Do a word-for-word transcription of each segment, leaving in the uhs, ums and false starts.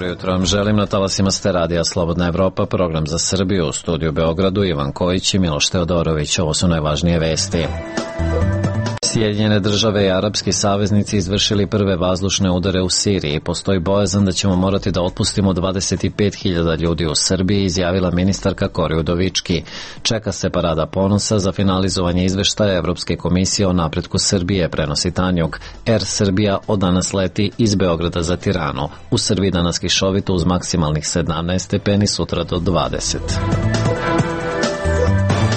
jutro vam želim, na talasima ste radija Slobodna Evropa, program za Srbiju, u studiju Beogradu, Ivan Kojić i Miloš Teodorović. Ovo su najvažnije vesti. Sjedinjene države i arapski saveznici izvršili prve vazdušne udare u Siriji. Postoji bojazan da ćemo morati da otpustimo dvadeset pet hiljada ljudi u Srbiji, izjavila ministarka Kori Udovički. Čeka se parada ponosa za finalizovanje izveštaja Evropske komisije o napretku Srbije, prenosi Tanjug. Air Srbija od danas leti iz Beograda za Tiranu. U Srbiji danas kišovito uz maksimalnih sedamnaest stepeni, sutra do dvadeset.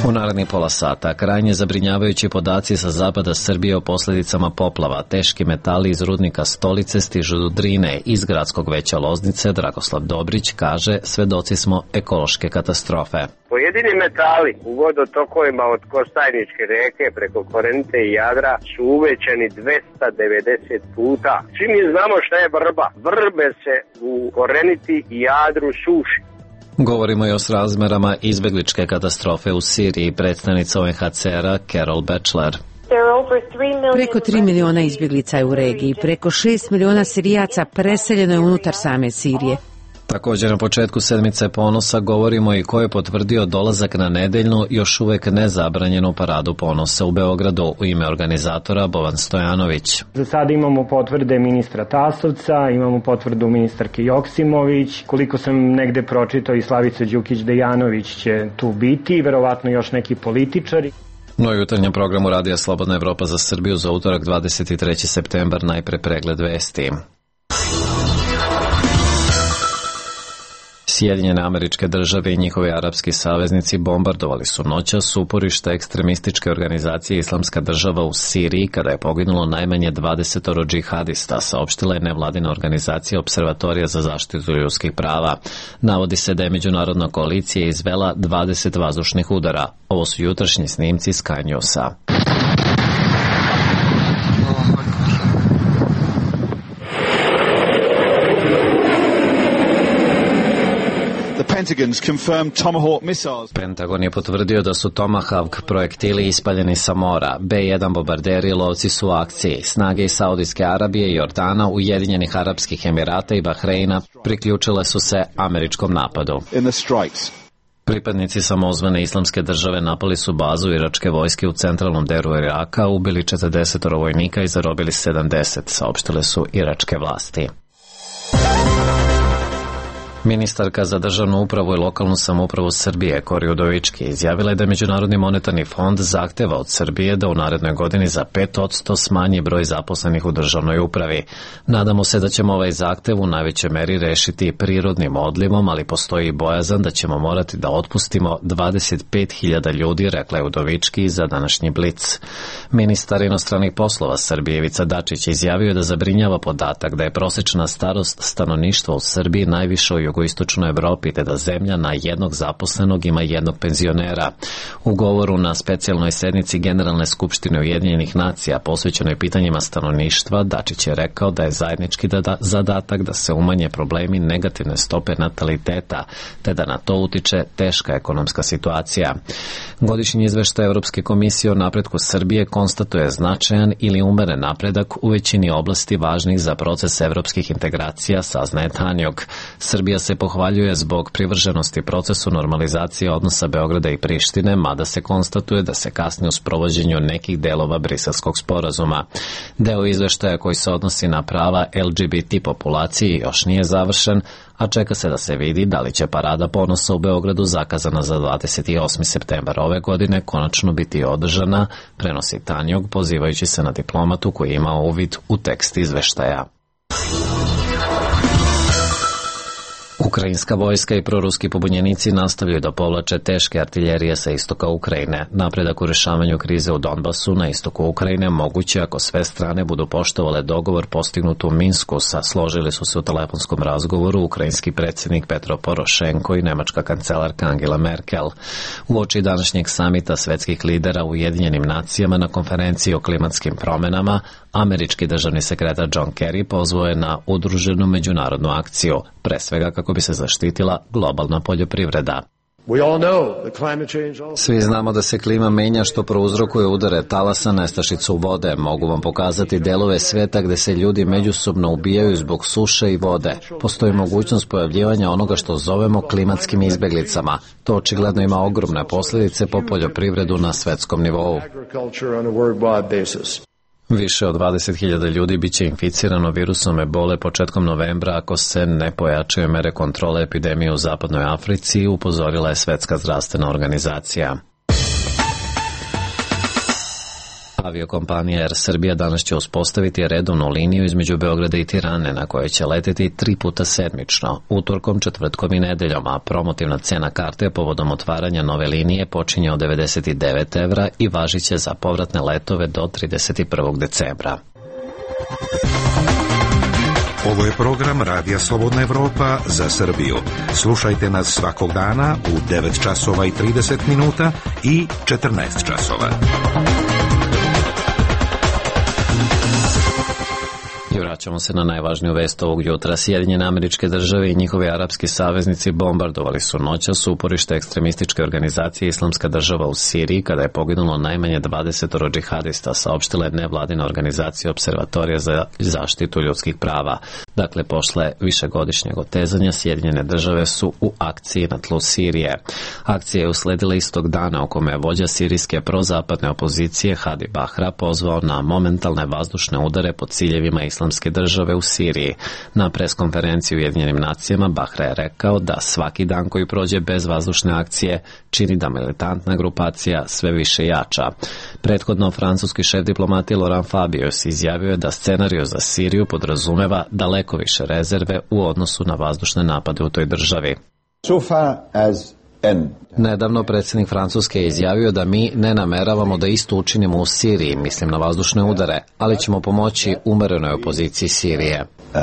U narednih pola sata krajnje zabrinjavajući podaci sa zapada Srbije o posljedicama poplava. Teški metali iz rudnika Stolice stižu do Drine. Iz gradskog veća Loznice Dragoslav Dobrić kaže: svedoci smo ekološke katastrofe. Pojedini metali u vodotokovima od Kostajničke reke preko Korenice i Jadra su uvećani dvesta devedeset puta. Svi mi znamo šta je vrba. Vrbe se u Korenici i Jadru suši. Govorimo i o srazmerama izbegličke katastrofe u Siriji. Predstavnica U N H C R-a Carol Batchelor. Preko tri miliona izbjeglica je u regiji. Preko šest miliona Sirijaca preseljeno je unutar same Sirije. Također na početku sedmice ponosa govorimo i ko je potvrdio dolazak na nedeljnu, još uvek nezabranjenu paradu ponosa u Beogradu. U ime organizatora Bovan Stojanović. Za sada imamo potvrde ministra Tasovca, imamo potvrdu ministarke Joksimović, koliko sam negde pročitao i Slavica Đukić-Dejanović će tu biti, verovatno još neki političari. No, jutarnjem programu Radija Slobodna Evropa za Srbiju za utorak dvadeset treći septembar, najpre pregled vesti. Sjedinjene Američke Države i njihovi arapski saveznici bombardovali su noćas uporište ekstremističke organizacije Islamska država u Siriji, kada je poginulo najmanje dvadeset džihadista, saopštila je nevladina organizacija Observatorija za zaštitu ljudskih prava. Navodi se da je međunarodna koalicija izvela dvadeset vazdušnih udara. Ovo su jutrašnji snimci Sky Newsa. Pentagon je potvrdio da su Tomahawk projektili ispaljeni sa mora. B jedan bombarderi i lovci su u akciji. Snage iz Saudijske Arabije i Jordana, Ujedinjenih Arapskih Emirata i Bahreina priključile su se američkom napadu. Pripadnici samozvane Islamske države napali su bazu iračke vojske u centralnom delu Iraka, ubili četrdeset vojnika i zarobili sedamdeset, saopštile su iračke vlasti. Ministarka za državnu upravu i lokalnu samoupravu Srbije Kori Udovički izjavila je da Međunarodni monetarni fond zahteva od Srbije da u narednoj godini za pet posto smanji broj zaposlenih u državnoj upravi. Nadamo se da ćemo ovaj zahtev u najvećoj meri rešiti prirodnim odlivom, ali postoji i bojazan da ćemo morati da otpustimo dvadeset pet hiljada ljudi, rekla je Udovički za današnji Blic. Ministar inostranih poslova Srbije Ivica Dačić izjavio da zabrinjava podatak da je prosečna starost stanovništva u Srbiji najviša u jugoistočnoj Evropi, te da zemlja na jednog zaposlenog ima jednog penzionera. U govoru na specijalnoj sednici Generalne skupštine Ujedinjenih nacija posvećenoj pitanjima stanovništva, Dačić je rekao da je zajednički da zadatak da se umanje problemi negativne stope nataliteta, te da na to utiče teška ekonomska situacija. Godišnji izveštaj Evropske komisije o napretku Srbije konstatuje značajan ili umeren napredak u većini oblasti važnih za proces evropskih integracija, saznaje Tanjug. Srbija se pohvaljuje zbog privrženosti procesu normalizacije odnosa Beograda i Prištine, mada se konstatuje da se kasni u sprovođenju nekih delova Briselskog sporazuma. Deo izveštaja koji se odnosi na prava L G B T populaciji još nije završen, a čeka se da se vidi da li će parada ponosa u Beogradu, zakazana za dvadeset osmi septembar ove godine, konačno biti održana, prenosi Tanjug, pozivajući se na diplomatu koji ima uvid u tekst izveštaja. Ukrajinska vojska i proruski pobunjenici nastavljaju da povlače teške artiljerije sa istoka Ukrajine. Napredak u rešavanju krize u Donbasu na istoku Ukrajine moguće ako sve strane budu poštovale dogovor postignut u Minsku, sa složili su se u telefonskom razgovoru ukrajinski predsjednik Petro Porošenko i nemačka kancelarka Angela Merkel. Uoči današnjeg samita svetskih lidera u Ujedinjenim nacijama na konferenciji o klimatskim promenama, američki državni sekretar John Kerry pozvao je na udruženu međunarodnu akciju, pre svega kako bi se zaštitila globalna poljoprivreda. Svi znamo da se klima menja, što prouzrokuje udare talasa, nestašicu vode. Mogu vam pokazati delove sveta gde se ljudi međusobno ubijaju zbog suše i vode. Postoji mogućnost pojavljivanja onoga što zovemo klimatskim izbeglicama. To očigledno ima ogromne posljedice po poljoprivredu na svetskom nivou. Više od dvadeset hiljada ljudi biće inficirano virusom ebole početkom novembra ako se ne pojačaju mere kontrole epidemije u zapadnoj Africi, upozorila je Svetska zdravstvena organizacija. Aviokompanija Air Srbija danas će uspostaviti redovnu liniju između Beograda i Tirane, na kojoj će leteti tri puta sedmično, utorkom, četvrtkom i nedeljom, a promotivna cena karte povodom otvaranja nove linije počinje od devedeset devet evra i važiće za povratne letove do trideset prvog decembra. Ovo je program Radija Slobodna Evropa za Srbiju. Slušajte nas svakog dana u devet časova i trideset minuta i četrnaest časova. I vraćamo se na najvažniju vest ovog jutra. Sjedinjene Američke Države i njihovi arapski saveznici bombardovali su noćas uporište ekstremističke organizacije Islamska država u Siriji, kada je poginulo najmanje dvadeset džihadista, saopštila je nevladina organizacija Observatorija za zaštitu ljudskih prava. Dakle, posle višegodišnjeg otezanja, Sjedinjene Države su u akciji na tlu Sirije. Akcija je usledila istog dana u kome je vođa sirijske prozapadne opozicije Hadi Bahra pozvao na momentalne vazdušne udare po ciljevima Islamske države u Siriji. Na preskonferenciji u Ujedinjenim nacijama Bahra je rekao da svaki dan koji prođe bez vazdušne akcije čini da militantna grupacija sve više jača. Prethodno, francuski šef diplomatije Laurent Fabius izjavio je da scenariju za Siriju podrazumeva daleko više rezerve u odnosu na vazdušne napade u toj državi. So far as Nedavno predsjednik Francuske je izjavio da mi ne nameravamo da isto učinimo u Siriji, mislim na vazdušne udare, ali ćemo pomoći umerenoj opoziciji Sirije. Uh,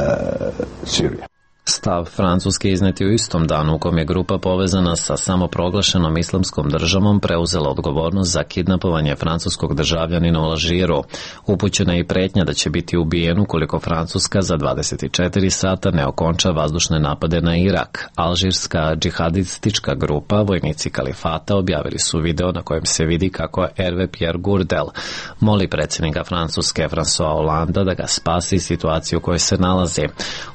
Sirija. Stav Francuske iznet je u istom danu u kom je grupa povezana sa samoproglašenom islamskom državom preuzela odgovornost za kidnapovanje francuskog državljanina u Alžiru. Upućena je i pretnja da će biti ubijen ukoliko Francuska za dvadeset četiri sata ne okonča vazdušne napade na Irak. Alžirska džihadistička grupa, vojnici kalifata, objavili su video na kojem se vidi kako Hervé Pierre Gourdel moli predsjednika Francuske François Hollanda da ga spasi situaciju u kojoj se nalazi.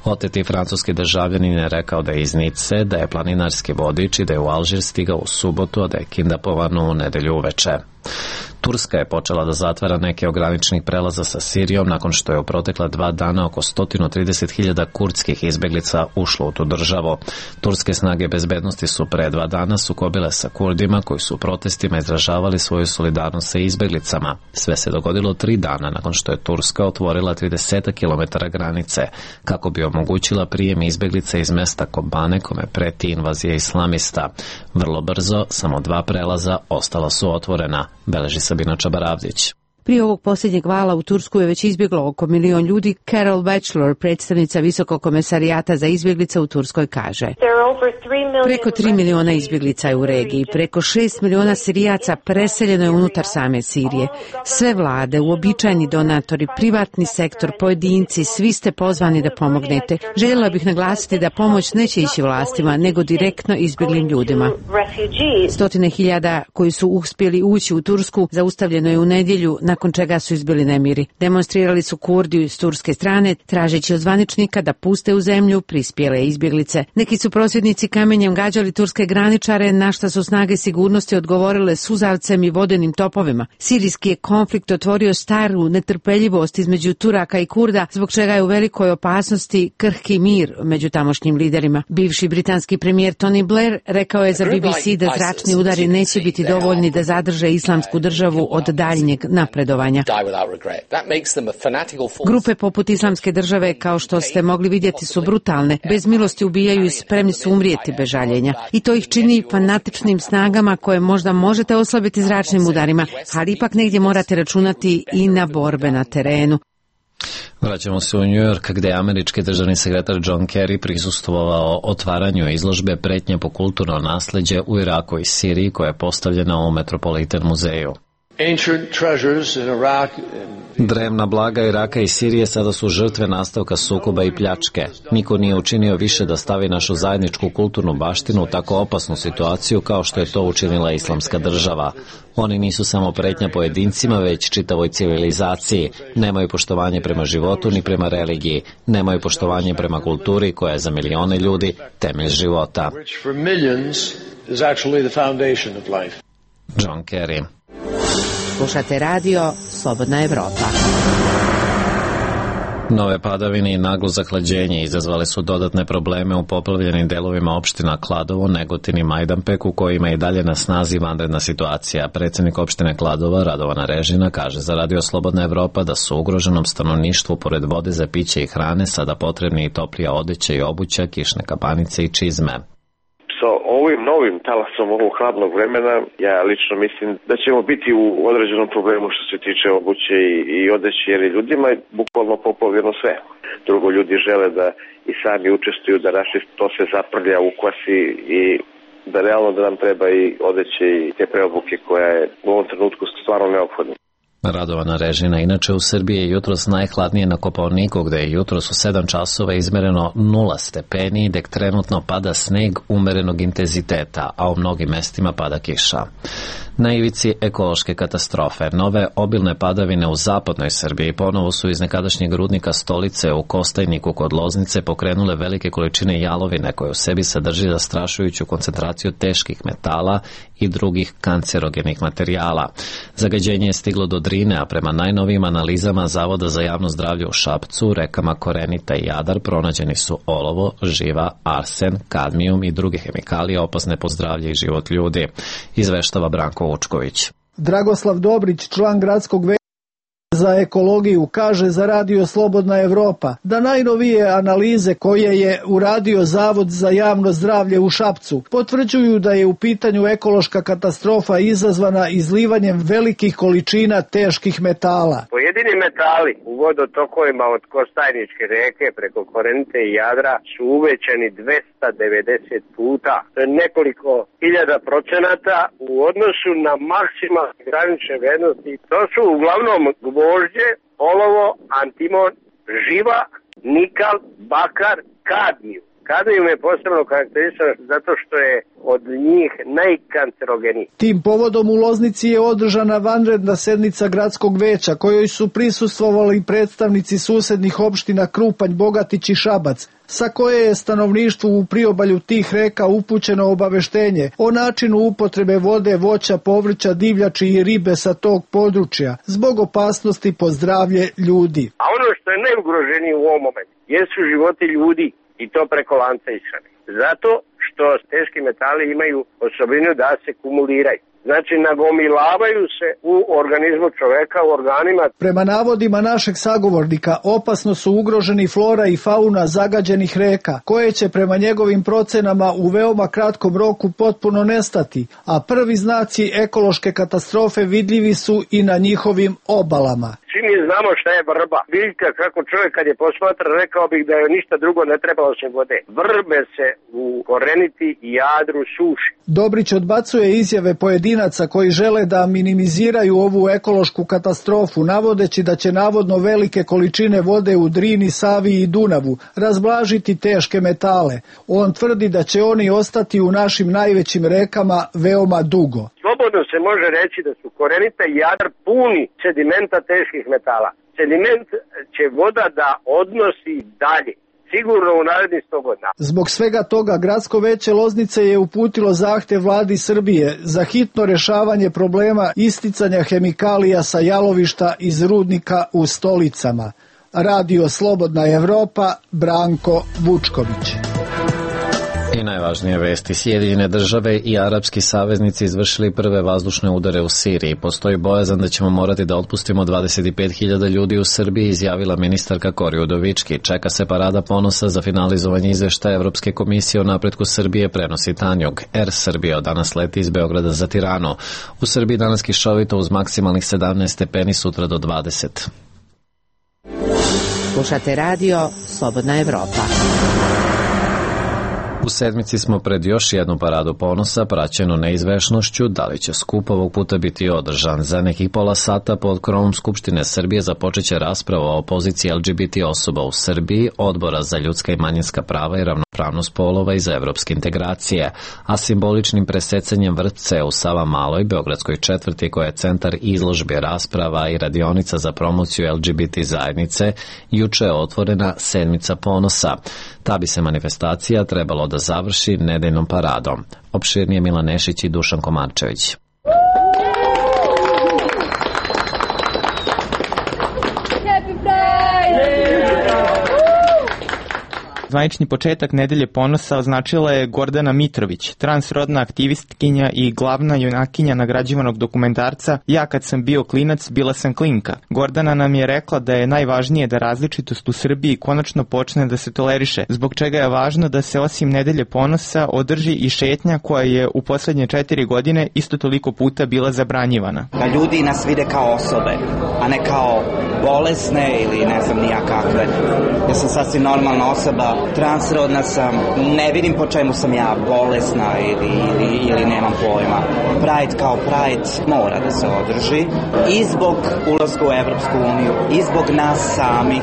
Oteti francuski državljanin je rekao da je iz Nice, da je planinarski vodič i da je u Alžir stigao u subotu, a da je kidnapovan u nedelju uveče. Turska je počela da zatvara neke ograničenih prelaza sa Sirijom nakon što je u protekla dva dana oko sto trideset hiljada kurdskih izbeglica ušlo u tu državu. Turske snage bezbednosti su pre dva dana sukobile sa Kurdima koji su u protestima izražavali svoju solidarnost sa izbeglicama. Sve se dogodilo tri dana nakon što je Turska otvorila trideset kilometara granice kako bi omogućila prijem izbeglica iz mesta Kobane kome preti invazija islamista. Vrlo brzo samo dva prelaza ostala su otvorena, beleži Sabina Čabaravdić. Prije ovog posljednjeg vala u Tursku je već izbjeglo oko milion ljudi. Carol Batchelor, predstavnica Visokog komesarijata za izbjeglice u Turskoj, kaže: Preko tri miliona izbjeglica je u regiji, preko šest miliona Sirijaca preseljeno je unutar same Sirije. Sve vlade, uobičajeni donatori, privatni sektor, pojedinci, svi ste pozvani da pomognete. Željela bih naglasiti da pomoć neće ići vlastima, nego direktno izbjeglim ljudima. Stotine hiljada koji su uspjeli ući u Tursku zaustavljeno je u nedjelju, nakon čega su izbili nemiri. Demonstrirali su Kurdi s turske strane, tražeći od zvaničnika da puste u zemlju prispjele izbjeglice. Neki su prosvjednici kamenjem gađali turske graničare, na šta su snage sigurnosti odgovorile suzavcem i vodenim topovima. Sirijski je konflikt otvorio staru netrpeljivost između Turaka i Kurda, zbog čega je u velikoj opasnosti krhki mir među tamošnjim liderima. Bivši britanski premijer Tony Blair rekao je za B B C da zračni udari neće biti dovoljni da zadrže islamsku državu od daljnjeg napredovanja. Grupe poput Islamske države, kao što ste mogli vidjeti, su brutalne, bez milosti ubijaju i spremni su umrijeti bez žaljenja. I to ih čini fanatičnim snagama koje možda možete oslabiti zračnim udarima, ali ipak negdje morate računati i na borbe na terenu. Vraćamo se u New York, gdje je američki državni sekretar John Kerry prisustvovao otvaranju izložbe Pretnje po kulturno nasleđe u Iraku i Siriji koja je postavljena u Metropolitan muzeju. Drevna blaga Iraka i Sirije sada su žrtve nastavka sukoba i pljačke. Niko nije učinio više da stavi našu zajedničku kulturnu baštinu u tako opasnu situaciju kao što je to učinila Islamska država. Oni nisu samo pretnja pojedincima, već čitavoj civilizaciji. Nemaju poštovanje prema životu ni prema religiji. Nemaju poštovanje prema kulturi koja je za milione ljudi temelj života. John Kerry. Slušate radio Slobodna Evropa. Nove padavine i naglo zahlađenje izazvale su dodatne probleme u poplavljenim delovima opština Kladovo, Negotin i Majdanpek, u kojima je i dalje na snazi vanredna situacija. Predsjednik opštine Kladova, Radovana Režina, kaže za radio Slobodna Evropa da su ugroženom stanovništvu pored vode za piće i hrane sada potrebni i toplija odeća i obuća, kišne kapanice i čizme. Sa ovim novim talasom ovog hladnog vremena, ja lično mislim da ćemo biti u određenom problemu što se tiče obuće i, i odeće, jer je ljudima je bukvalno poplavljeno sve. Drugo, ljudi žele da i sami učestvuju, da naši to se zaprlja u kosi i da realno da nam treba i odeće i te preobuke koja je u ovom trenutku stvarno neophodna. Radovana Režina, inače u Srbiji je jutros najhladnije na Kopaoniku, gde je jutros u sedam časova izmereno nula stepeni, dok trenutno pada sneg umerenog intenziteta, a u mnogim mestima pada kiša. Na ivici ekološke katastrofe, nove obilne padavine u zapadnoj Srbiji ponovo su iz nekadašnjeg rudnika Stolice u Kostajniku kod Loznice pokrenule velike količine jalovine koje u sebi sadrži zastrašujuću koncentraciju teških metala i drugih kancerogenih materijala. Zagađenje je stiglo do Drine, a prema najnovijim analizama Zavoda za javno zdravlje u Šapcu, rekama Korenita i Jadar pronađeni su olovo, živa, arsen, kadmijum i druge hemikalije opasne po zdravlje i život ljudi, izveštava Branko Vučković. Dragoslav Dobrić, član gradskog veća za ekologiju, kaže za radio Slobodna Evropa da najnovije analize koje je uradio Zavod za javno zdravlje u Šapcu potvrđuju da je u pitanju ekološka katastrofa izazvana izlivanjem velikih količina teških metala. Pojedini metali u vodotokovima od Kostajničke reke preko Korenite i Jadra su uvećani dvesta devedeset puta. To je nekoliko hiljada procenata u odnosu na maksimalne granične vrednosti. To su uglavnom gvožđe, olovo, antimon, živa, nikal, bakar, kadmijum. Kadmijum je posebno karakterističan zato što je od njih najkancerogeniji. Tim povodom u Loznici je održana vanredna sednica gradskog veća kojoj su prisustvovali predstavnici susednih opština Krupanj, Bogatić i Šabac, sa koje je stanovništvu u priobalju tih reka upućeno obaveštenje o načinu upotrebe vode, voća, povrća, divljači i ribe sa tog područja zbog opasnosti po zdravlje ljudi. A ono što je najugroženije u ovom momentu jesu životi ljudi i to preko lanca ishrane. Zato što teški metali imaju osobinu da se kumuliraju. Znači, nagomilavaju se u organizmu čoveka, u organima. Prema navodima našeg sagovornika, opasno su ugroženi flora i fauna zagađenih reka, koje će prema njegovim procenama u veoma kratkom roku potpuno nestati, a prvi znaci ekološke katastrofe vidljivi su i na njihovim obalama. Svi mi znamo šta je vrba. Biljka, kako čovjek kad je posmatra, rekao bih da joj ništa drugo ne treba osim vode. Vrbe se u Koreniti i Jadru suši. Dobrić odbacuje izjave pojedinaca koji žele da minimiziraju ovu ekološku katastrofu, navodeći da će navodno velike količine vode u Drini, Savi i Dunavu razblažiti teške metale. On tvrdi da će oni ostati u našim najvećim rekama veoma dugo. Slobodno se može reći da su Korenita i Jadar puni sedimenta teških metala. Sediment će voda da odnosi dalje. Sigurno u narednih sto godina. Zbog svega toga, Gradsko veće Loznice je uputilo zahtev vladi Srbije za hitno rešavanje problema isticanja hemikalija sa jalovišta iz rudnika u Stolicama. Radio Slobodna Evropa, Branko Vučković. I najvažnije vesti, Sjedinjene države i arapski saveznici izvršili prve vazdušne udare u Siriji. Postoji bojazan da ćemo morati da otpustimo dvadeset pet hiljada ljudi u Srbiji, izjavila ministarka Kori Udovički. Čeka se parada ponosa za finalizovanje izveštaja Evropske komisije o napretku Srbije, prenosi Tanjug. Air Srbija od danas leti iz Beograda za Tiranu. U Srbiji danas kišovito uz maksimalnih sedamnaest stepeni, sutra do dvadeset. Slušate radio Slobodna Evropa. U sedmici smo pred još jednu paradu ponosa, praćenu neizvešnošću da li će skup ovog puta biti održan. Za nekih pola sata pod krovom Skupštine Srbije započeće rasprava o poziciji L G B T osoba u Srbiji, Odbora za ljudska i manjinska prava i ravnopravnost polova i za evropske integracije, a simboličnim presecanjem vrpce u Savamaloj, beogradskoj četvrti koja je centar izložbe, rasprava i radionica za promociju L G B T zajednice, juče je otvorena sedmica ponosa. Ta bi se manifestacija trebalo da završi nedeljnom paradom. Opširnije Milan Nešić i Dušan Komarčević. Zvanični početak Nedelje ponosa označila je Gordana Mitrović, transrodna aktivistkinja i glavna junakinja nagrađivanog dokumentarca Ja kad sam bio klinac, bila sam klinka. Gordana nam je rekla da je najvažnije da različitost u Srbiji konačno počne da se toleriše, zbog čega je važno da se osim Nedelje ponosa održi i šetnja koja je u poslednje četiri godine isto toliko puta bila zabranjivana. Da ljudi nas vide kao osobe, a ne kao bolesne ili ne znam nija kakve. Ja sam sasvim normalna osoba, transrodna sam, ne vidim po čemu sam ja bolesna ili, ili, ili nemam pojma. Pride kao Pride mora da se održi i zbog ulaska u Evropsku uniju i zbog nas samih,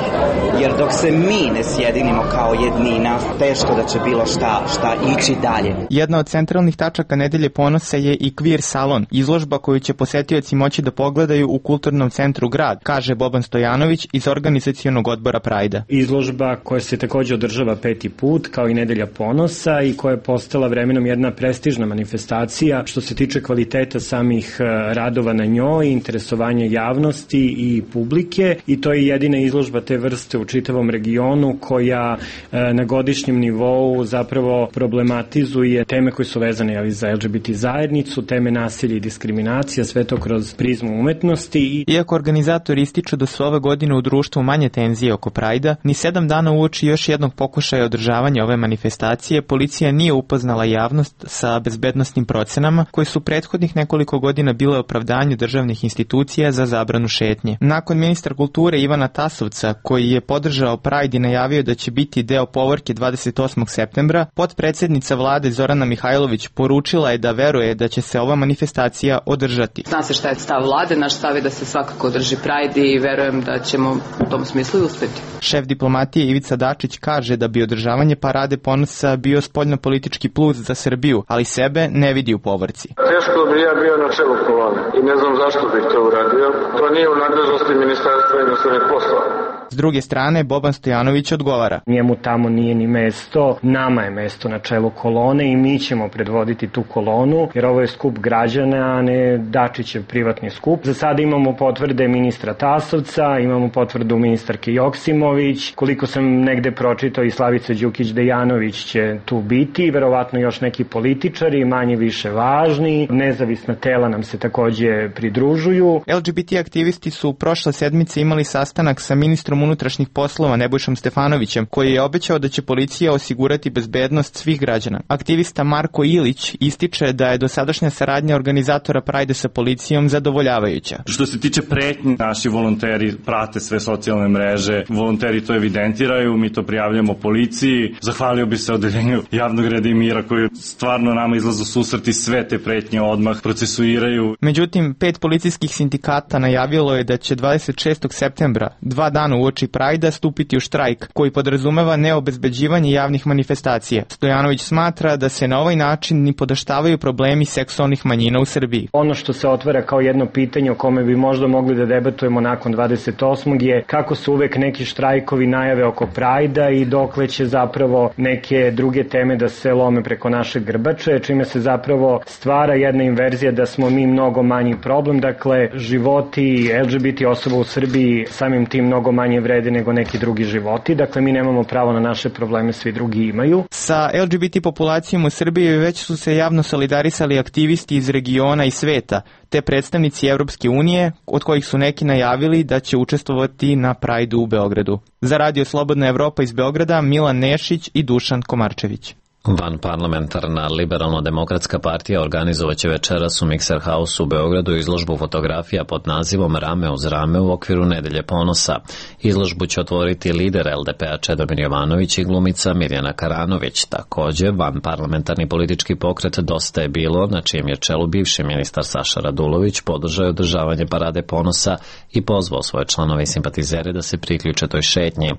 jer dok se mi ne sjedinimo kao jednina, teško da će bilo šta, šta ići dalje. Jedna od centralnih tačaka Nedelje ponosa je i Queer salon, izložba koju će posetioci moći da pogledaju u Kulturnom centru Grad, kaže Boban Stojanović iz organizacionog odbora Prajda. Izložba koja se takođe održava peti put, kao i Nedelja ponosa i koja je postala vremenom jedna prestižna manifestacija što se tiče kvaliteta samih radova na njoj, interesovanja javnosti i publike, i to je jedina izložba te vrste u čitavom regionu koja na godišnjem nivou zapravo problematizuje teme koje su vezane ali, za L G B T zajednicu, teme nasilja i diskriminacija, sve to kroz prizmu umetnosti. Iako organizatori ističu da su ove godine u društvu manje tenzije oko Prajda, ni sedam dana uoči još jednog pokušaja održavanja ove manifestacije, policija nije upoznala javnost sa bezbednosnim procenama koje su prethodnih nekoliko godina bile opravdanju državnih institucija za zabranu šetnje. Nakon ministra kulture Ivana Tasovca, koji je podržao Pride i najavio da će biti deo povorke dvadeset osmog septembra, potpredsednica vlade Zorana Mihajlović poručila je da veruje da će se ova manifestacija održati. Zna se šta je stav vlade, naš stav je da se svakako održi Pride i verujem da ćemo u tom smislu i uspeti. Šef diplomatije Ivica Dačić kaže da bi održavanje parade ponosa bio spoljno-politički plus za Srbiju, ali sebe ne vidi u povorci. Teško bi ja bio na čelu kolone i ne znam zašto bih to uradio. To nije u nadležnosti Ministarstva inostranih poslova. S druge strane, Boban Stojanović odgovara. Njemu tamo nije ni mesto, nama je mesto na čelu kolone i mi ćemo predvoditi tu kolonu, jer ovo je skup građana, a ne Dačićev privatni skup. Za sada imamo potvrde ministra Tasovca, imamo potvrdu ministarke Joksimović, koliko sam negde pročitao i Slavica Đukić-Dejanović će tu biti, verovatno još neki političari, manje više važni, nezavisna tela nam se takođe pridružuju. L G B T aktivisti su prošle sedmice imali sastanak sa ministrom unutrašnjih poslova Nebojšom Stefanovićem, koji je obećao da će policija osigurati bezbednost svih građana. Aktivista Marko Ilić ističe da je dosadašnja saradnja organizatora Prajda sa policijom zadovoljavajuća. Što se tiče pretnji, naši volonteri prate sve socijalne mreže, volonteri to evidentiraju, mi to prijavljamo policiji. Zahvalio bi se odeljenju javnog reda i mira koji stvarno nama izlazu susret i sve te pretnje odmah procesuiraju. Međutim, pet policijskih sindikata najavilo je da će dvadeset šestog septembra, dva dana uoči Prajda, stupiti u štrajk koji podrazumeva neobezbeđivanje javnih manifestacija. Stojanović smatra da se na ovaj način ni podaštavaju problemi seksualnih manjina u Srbiji. Ono što se otvara kao jedno pitanje o kome bi možda mogli da debatujemo nakon dvadeset osmog je kako su uvek neki štrajkovi najave oko Prajda i dokle će zapravo neke druge teme da se lome preko naše grbače, čime se zapravo stvara jedna inverzija da smo mi mnogo manji problem, dakle životi L G B T osoba u Srbiji samim tim mnogo manje vrede nego neki drugi životi, dakle mi nemamo pravo na naše probleme, svi drugi imaju. Sa L G B T populacijom u Srbiji već su se javno solidarisali aktivisti iz regiona i sveta, te predstavnici Evropske unije, od kojih su neki najavili da će učestvovati na Prajdu u Beogradu. Za Radio Slobodna Evropa iz Beograda, Milan Nešić i Dušan Komarčević. Vanparlamentarna liberalno-demokratska partija organizovaće večeras u Mixer House u Beogradu izložbu fotografija pod nazivom Rame uz rame u okviru Nedelje ponosa. Izložbu će otvoriti lider L D P-a Čedomir Jovanović i glumica Mirjana Karanović. Također, vanparlamentarni politički pokret Dosta je bilo, na čijem je čelu bivši ministar Saša Radulović, podržao održavanje parade ponosa i pozvao svoje članove i simpatizere da se priključe toj šetnji.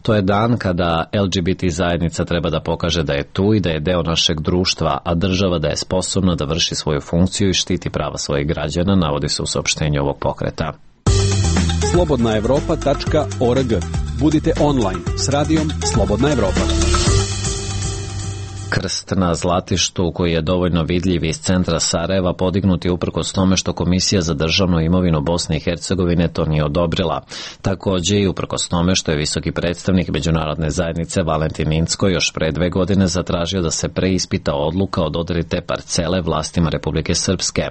To je dan kada L G B T zajednica treba da pokaže da je tu i da je deo našeg društva, a država da je sposobna da vrši svoju funkciju i štiti prava svojih građana, navodi se u saopštenju ovog pokreta. slobodna evropa tačka org. Budite online s radijom Slobodna Evropa. Krst na Zlatištu, koji je dovoljno vidljiv iz centra Sarajeva, podignut je uprkos tome što Komisija za državnu imovinu Bosne i Hercegovine to nije odobrila. Također i uprkos tome što je visoki predstavnik međunarodne zajednice Valentin Incko još pre dve godine zatražio da se preispita odluka o dodeli te parcele vlastima Republike Srpske.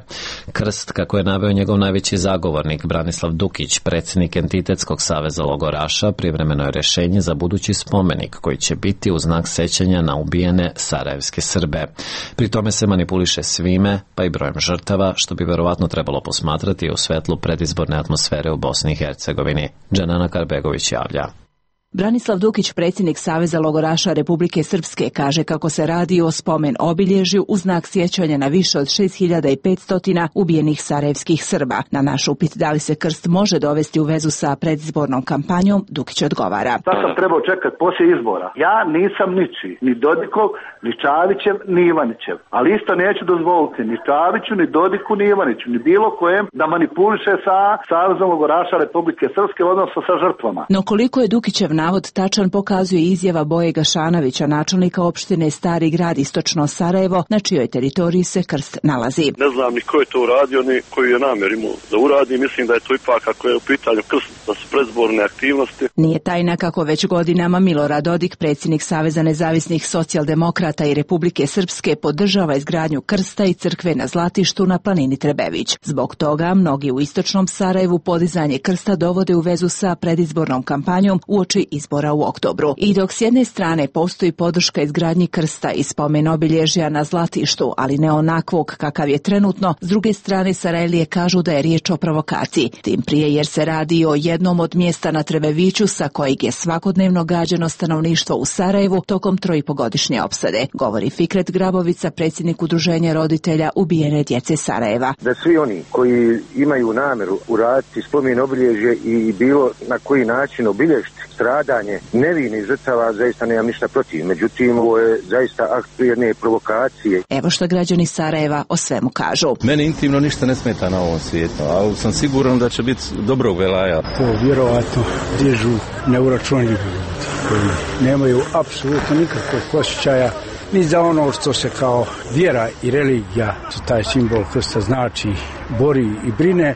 Krst, kako je naveo njegov najveći zagovornik Branislav Dukić, predsjednik Entitetskog saveza logoraša, privremeno je rješenje za budući spomenik koji će biti u znak sećanja na ubijene sarajevske Srbe. Pri tome se manipuliše svime, pa i brojem žrtava, što bi verovatno trebalo posmatrati u svetlu predizborne atmosfere u Bosni i Hercegovini. Dženana Karbegović javlja. Branislav Dukić, predsjednik Saveza logoraša Republike Srpske, kaže kako se radi o spomen obilježju u znak sjećanja na više od šest hiljada petsto ubijenih sarajevskih Srba. Na naš upit da li se krst može dovesti u vezu sa predizbornom kampanjom, Dukić odgovara. Šta sam trebao čekati poslije izbora? Ja nisam ničiji, ni Dodikov, ni Čavićev, ni Ivanićev. Ali isto neću dozvoliti ni Čaviću, ni Dodiku, ni Ivaniću, ni bilo kojem da manipuliše sa Savezom logoraša Republike Srpske, odnosno sa žrtvama. No koliko je Dukićev navod tačan pokazuje izjava Boje Gašanovića, načelnika opštine Stari Grad istočno Sarajevo, na čijoj teritoriji se krst nalazi. Ne znam ni ko je to uradio, ni koji je namjer imao da uradi. Mislim da je to ipak, ako je u pitanju krst, da su predizborne aktivnosti. Nije tajna kako već godinama Milorad Dodik, predsjednik Saveza nezavisnih socijaldemokrata i Republike Srpske, podržava izgradnju krsta i crkve na Zlatištu na planini Trebević. Zbog toga mnogi u istočnom Sarajevu podizanje krsta dovode u vezu sa predizbornom kampanjom uoči izbora u oktobru. I dok s jedne strane postoji podrška izgradnji krsta i spomen obilježja na Zlatištu, ali ne onakvog kakav je trenutno, s druge strane Sarajlije kažu da je riječ o provokaciji. Tim prije jer se radi o jednom od mjesta na Trebeviću sa kojeg je svakodnevno gađano stanovništvo u Sarajevu tokom trojipogodišnje opsade, govori Fikret Grabovica, predsjednik udruženja roditelja ubijene djece Sarajeva. Da svi oni koji imaju namjeru uraditi spomen obilježje i bilo na koji način obilježiti stradanje nevinih žrtava, zaista nemam ništa protiv. Međutim, ovo je zaista akt jedne provokacije. Evo što građani Sarajeva o svemu kažu. Meni intimno ništa ne smeta na ovom svijetu, ali sam siguran da će biti dobrog velaja. To vjerovatno dižu neuračunljivi ljudi koji nemaju apsolutno nikakvog osjećaja ni za ono što se kao vjera i religija, taj simbol krsta znači, bori i brine,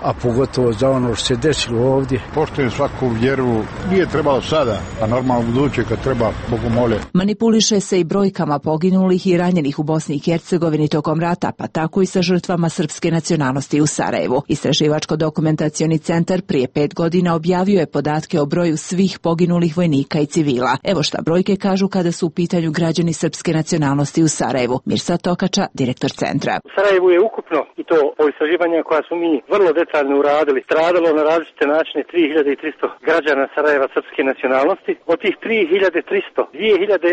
a pogotovo za ono što se desilo ovdje. Poštujem svaku vjeru, nije trebalo sada, a normalno buduće kad treba, Bogu mole. Manipuliše se i brojkama poginulih i ranjenih u Bosni i Hercegovini tokom rata, pa tako i sa žrtvama srpske nacionalnosti u Sarajevu. Istraživačko-dokumentacioni centar prije pet godina objavio je podatke o broju svih poginulih vojnika i civila. Evo šta brojke kažu kada su u pitanju građani srpske nacionalnosti u Sarajevu. Mirsad Tokača, direktor centra. U Sarajevu je ukupno, i to po istraživanjima koja su mi vrlo detaljno uradili, stradalo na različite načine tri hiljade tristo građana Sarajeva srpske nacionalnosti. Od tih tri hiljade tristo, dvije hiljade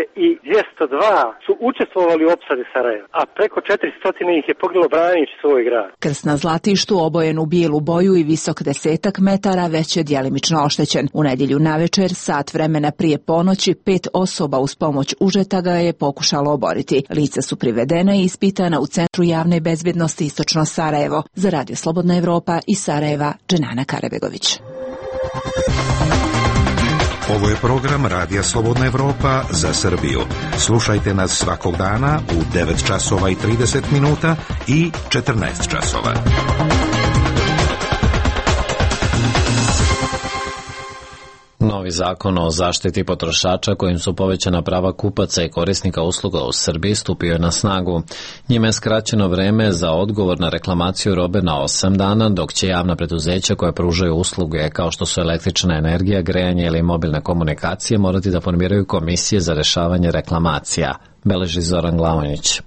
dvjesto dva su učestvovali u opsadi Sarajeva, a preko četiristo ih je poginulo braneći svoj grad. Krst na Zlatištu, obojen u bijelu boju i visok desetak metara, već je djelimično oštećen. U nedjelju navečer, sat vremena prije ponoći, pet osoba uz pomoć užeta ga je pokušalo oboriti. Lica su privedena i ispitana u Centru javne bezbjednosti istočno Sarajevo. Za Radio Slobodna Evropa i Sarajeva, Dženana Karabegović. Ovo je program Radija Slobodna Evropa za Srbiju. Slušajte nas svakog dana u devet časova i trideset minuta i četrnaest časova. Novi zakon o zaštiti potrošača kojim su povećana prava kupaca i korisnika usluga u Srbiji stupio je na snagu. Njime je skraćeno vreme za odgovor na reklamaciju robe na osam dana, dok će javna preduzeća koja pružaju usluge kao što su električna energija, grejanje ili mobilne komunikacije morati da formiraju komisije za rešavanje reklamacija. beleži Zoran Glavonjić.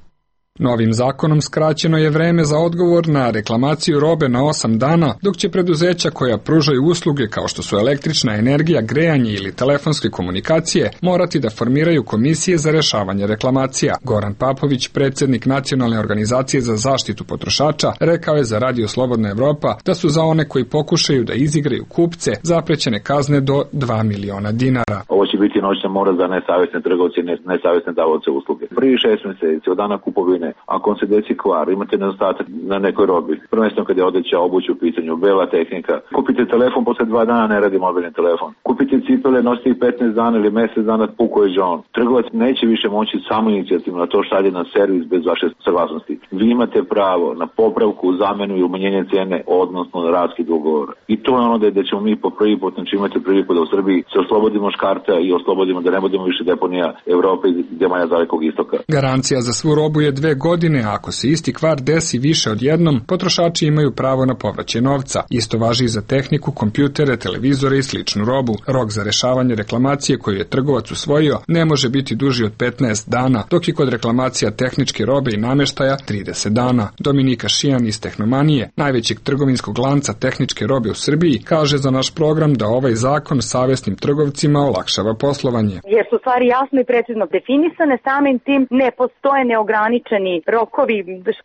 Novim zakonom skraćeno je vreme za odgovor na reklamaciju robe na osam dana, dok će preduzeća koja pružaju usluge kao što su električna energija, grejanje ili telefonske komunikacije morati da formiraju komisije za rešavanje reklamacija. Goran Papović, predsjednik Nacionalne organizacije za zaštitu potrošača, rekao je za Radio Slobodna Evropa da su za one koji pokušaju da izigraju kupce zaprećene kazne do dva miliona dinara. Ovo će biti noćna mora za nesavesne trgovce i nesavesne davaoce usluge. Prvi šest mjeseci od dana kupovine, ako on se desi kvar, imate nedostatak na nekoj robi, prvenstveno kad je odeća, obuć u pitanju, bela tehnika, kupite telefon, posle dva dana ne radi mobilni telefon, kupite cipele, nosite ih petnaest dana ili mjesec dana, puko je žon. Trgovac neće više moći samo inicijativno na to šalje na servis bez vaše saglasnosti. Vi imate pravo na popravku, zamenu i umanjenje cene, odnosno na raskid ugovora. I to je ono da ćemo mi po prvi put, znači imate priliku da u Srbiji se oslobodimo škarta i oslobodimo da ne budemo više deponija Evrope i zemalja Dalekog istoka. Garancija za svu robu je dve godine, a ako se isti kvar desi više od jednom, potrošači imaju pravo na povraćaj novca. Isto važi i za tehniku, kompjutere, televizore i sličnu robu. Rok za rešavanje reklamacije koju je trgovac usvojio ne može biti duži od petnaest dana, dok je kod reklamacija tehničke robe i nameštaja trideset dana. Dominika Šijan iz Tehnomanije, najvećeg trgovinskog lanca tehničke robe u Srbiji, kaže za naš program da ovaj zakon savesnim trgovcima olakšava poslovanje. Jer su stvari jasno i precizno definisane, samim tim ne postoje neograničeni rokovi,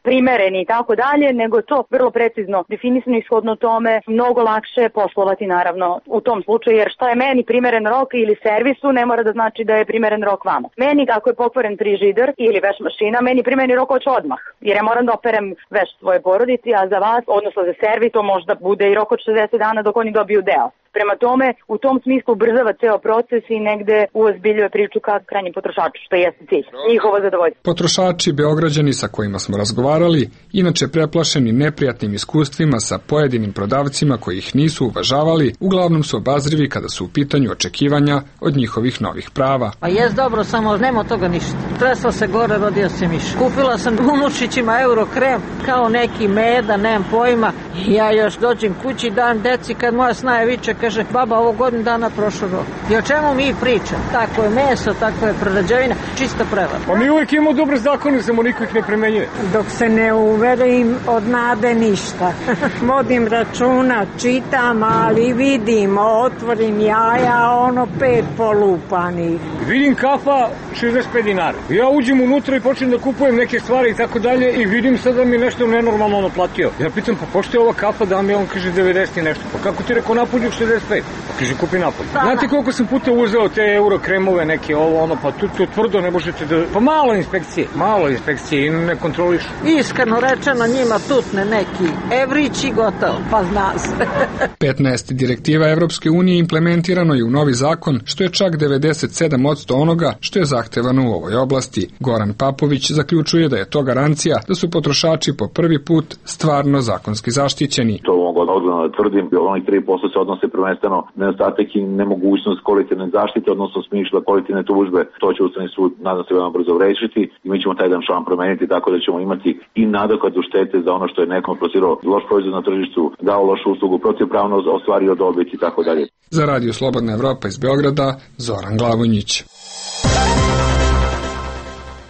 primereni i tako dalje, nego to vrlo precizno definisano i shodno tome mnogo lakše poslovati naravno u tom slučaju, jer šta je meni primeren rok ili servisu ne mora da znači da je primeren rok vama. Meni ako je pokvaren frižider ili veš mašina, meni primjereni rok hoće odmah, jer ja moram da operem veš svoje porodici, a za vas, odnosno za servis, to možda bude i rok od šezdeset dana dok oni dobiju deo. Prema tome, u tom smislu ubrzava ceo proces i negde uozbiljuje priču ka krajnjem potrošaču, što jeste cilj, njihovo zadovoljstvo. Potrošači, Beograđani sa kojima smo razgovarali, inače preplašeni neprijatnim iskustvima sa pojedinim prodavcima koji ih nisu uvažavali, uglavnom su obazrivi kada su u pitanju očekivanja od njihovih novih prava. Pa jes dobro, samo nema od toga ništa. Tresla se gore, rodio se miš. Kupila sam unučićima euro krem, kao neki meda, nemam pojma. Ja još dođem kući, dan deci, kad moja snaja viče, kaže, baba, ovo godinu dana prošlo rok. I o čemu mi pričamo? Tako je meso, tako je prerađevina, čista prevara. Pa mi uvijek imamo dobre zakone, samo niko ih ne primenjuje. Dok se ne uverim od nade ništa. Vodim računa, čitam, ali vidim, otvorim jaja, ono pet polupanih. Vidim kafa šezdeset pet dinara. Ja uđem unutra i počnem da kupujem neke stvari i tako dalje i vidim sad da mi nešto nenormalno naplatio. Ja pitam, pa pošto je ova kafa da mi on kaže devedeset i nešto. Pa kako ti rekao napolju šezdeset pet? Pa kaže kupi napolju. Znate koliko sam puta uzeo te euro kremove neke ovo ono, pa tu to tvrdo ne možete da... Pa malo inspekcije, malo inspekcije i ne kontroliš. Iskreno rečeno njima tutne neki evrići gotovo, pa zna se. petnaest direktiva Evropske unije implementirano je u novi zakon, što je čak devedeset sedam posto onoga što je zahtevano u ovoj oblasti. Goran Papović zaključuje da je to garancija da su potrošači po prvi put stvarno zakonski zaštićeni. To mogu odgovorno da tvrdim, onih tri posto se odnose prvenstveno nedostatak i nemogućnost kolektivne zaštite, odnosno smisla kolektivne tužbe. To će Ustavni sud, nadam se, veoma brzo rešiti i mi ćemo taj dan član promeniti tako da ćemo imati i nadoknadu štete za ono što je nekom plasirao loš proizvod na tržištu, dao lošu uslugu, protivpravno ostvario dobit i tako dalje. Za Radio Slobodna Evropa iz Beograda, Zoran Glavonjić.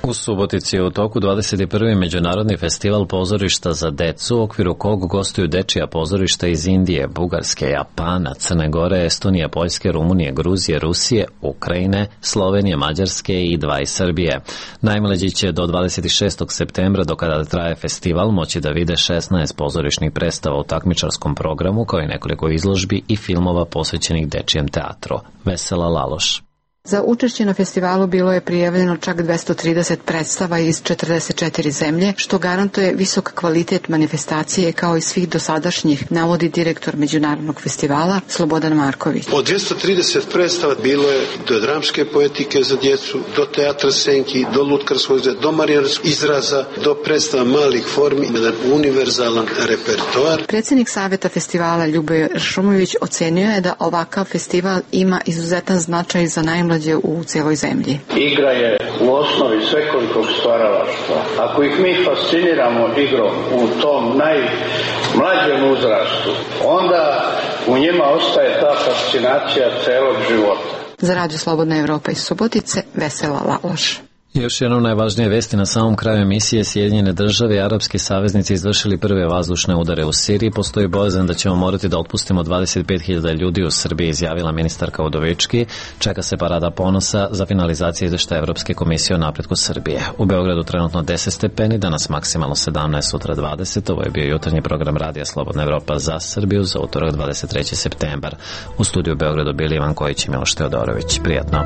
U Subotici je u toku dvadeset prvi Međunarodni festival pozorišta za decu, u okviru kog gostuju dečija pozorišta iz Indije, Bugarske, Japana, Crne Gore, Estonije, Poljske, Rumunije, Gruzije, Rusije, Ukrajine, Slovenije, Mađarske i dva iz Srbije. Najmlađi će do dvadeset šestog septembra, do kada traje festival, moći da vide šesnaest pozorišnih predstava u takmičarskom programu, kao i nekoliko izložbi i filmova posvećenih dečijem teatru. Vesela Laloš. Za učešće na festivalu bilo je prijavljeno čak dvesta trideset predstava iz četrdeset četiri zemlje, što garantuje visok kvalitet manifestacije kao i svih dosadašnjih, navodi direktor Međunarodnog festivala Slobodan Marković. Od dvesta trideset predstava bilo je do dramske poetike za djecu, do teatra senki, do lutkarskog izraza, do marijanskog izraza, do predstava malih formi, jedan univerzalan repertoar. Predsjednik Saveta festivala Ljuboje Ršumović ocenio je da ovakav festival ima izuzetan značaj za najmlađe u cijeloj zemlji. Igra je u osnovi svekolikog stvaralaštva. Ako ih mi fasciniramo igrom u tom najmlađem uzrastu, onda u njima ostaje ta fascinacija celog života. Za Radio Slobodna Evropa iz Subotice, Vesela Laloš. Još jedno najvažnije vesti na samom kraju emisije. Sjedinjene države i arapski saveznici izvršili prve vazdušne udare u Siriji. Postoji bojazan da ćemo morati da otpustimo dvadeset pet hiljada ljudi u Srbiji, izjavila ministarka Udovički. Čeka se parada ponosa za finalizaciju izveštaja Evropske komisije o napretku Srbije. U Beogradu trenutno deset stepeni, danas maksimalno sedamnaest, sutra dvadeset. Ovo je bio jutarnji program Radija Slobodna Evropa za Srbiju za utorak dvadeset treći septembar. U studiju u Beogradu bili Ivan Kojić i Miloš Teodorović. Prijatno.